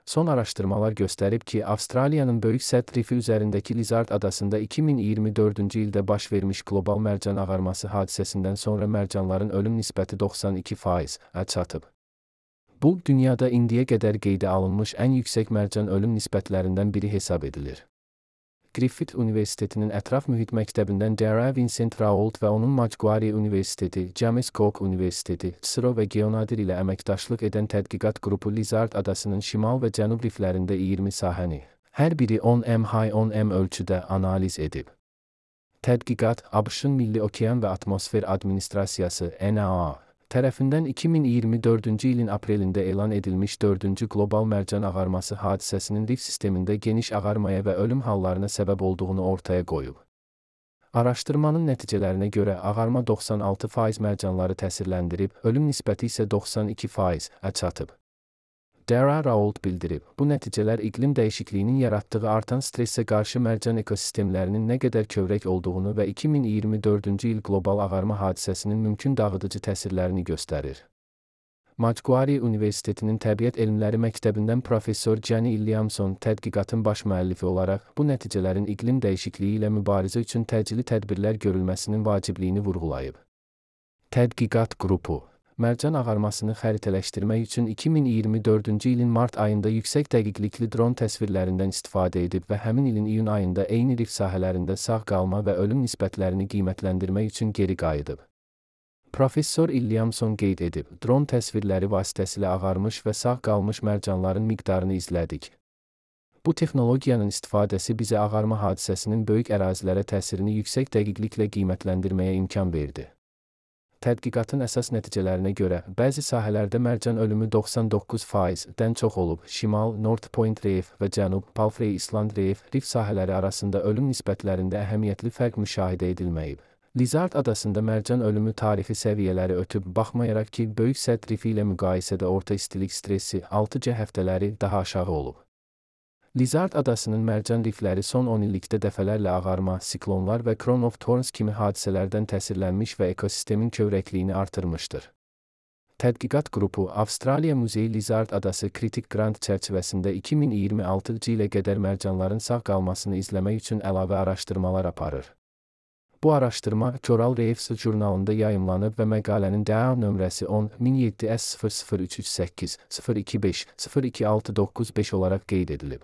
Son araştırmalar gösterib ki, Avstraliyanın Böyük Sədd Rifi üzərindəki Lizard adasında 2024-cü ildə baş vermiş qlobal mərcan ağarması hadisəsindən sonra mərcanların ölüm nisbəti 92%-ə çatıb. Bu, dünyada indiyə qədər qeydə alınmış ən yüksək mərcan ölüm nisbətlərindən biri hesab edilir. Griffith Universitetinin Ətraf Mühit Məktəbindən Dara Vincent Raoult və onun Macquarie Universiteti, James Cook Universiteti, CSIRO və Geonadir ilə əməkdaşlıq edən tədqiqat qrupu Lizard adasının şimal və cənub riflərində 20 sahəni, hər biri 10 ölçüdə analiz edib. Tədqiqat, ABŞ-ın Milli Okean və Atmosfer Administrasiyası (NOAA) tərəfindən 2024-cü ilin aprelində elan edilmiş 4-cü qlobal mərcan ağarması hadisəsinin rif sistemində geniş ağarmaya və ölüm hallarına səbəb olduğunu ortaya qoyub. Araşdırmanın nəticələrinə görə ağarma 96% mərcanları təsirləndirib, ölüm nisbəti isə 92%-ə çatıb. Dara Raoult bildirib, bu nəticələr iqlim dəyişikliyinin yaratdığı artan stressə qarşı mərcan ekosistemlərinin nə qədər kövrək olduğunu və 2024-cü il qlobal ağarma hadisəsinin mümkün dağıdıcı təsirlərini göstərir. Macquarie Universitetinin Təbiət Elmləri Məktəbindən professor Jenny Illiamson tədqiqatın baş müəllifi olaraq bu nəticələrin iqlim dəyişikliyi ilə mübarizə üçün təcili tədbirlər görülməsinin vacibliyini vurğulayıb. Tədqiqat qrupu mərcan ağarmasını xəritələşdirmək üçün 2024-cü ilin mart ayında yüksək dəqiqlikli dron təsvirlərindən istifadə edib və həmin ilin iyun ayında eyni rif sahələrində sağ qalma və ölüm nisbətlərini qiymətləndirmək üçün geri qayıdıb. Professor Illiamson qeyd edib, dron təsvirləri vasitəsilə ağarmış və sağ qalmış mərcanların miqdarını izlədik. Bu texnologiyanın istifadəsi bizə ağarma hadisəsinin böyük ərazilərə təsirini yüksək dəqiqliklə qiymətləndirməyə imkan verdi. Tədqiqatın əsas nəticələrinə görə, bəzi sahələrdə mərcan ölümü 99%-dən çox olub, şimal, North Point Reef və cənub, Palfrey Island Reef, rif sahələri arasında ölüm nisbətlərində əhəmiyyətli fərq müşahidə edilməyib. Lizard adasında mərcan ölümü tarixi səviyyələri ötüb, baxmayaraq ki, Böyük Sədd Rifi ilə müqayisədə orta istilik stressi 6C həftələri daha aşağı olub. Lizard adasının mərcan rifləri son 10 illikdə dəfələrlə ağarma, siklonlar və Crown of Thorns kimi hadisələrdən təsirlənmiş və ekosistemin kövrəkliyini artırmışdır. Tədqiqat qrupu Avstraliya Muzeyi Lizard adası kritik qrant çərçivəsində 2026-cı ilə qədər mərcanların sağ qalmasını izləmək üçün əlavə araşdırmalar aparır. Bu araşdırma Coral Reefs jurnalında yayımlanıb və məqalənin DAO nömrəsi 10-17S00338-025-02695 olaraq qeyd edilib.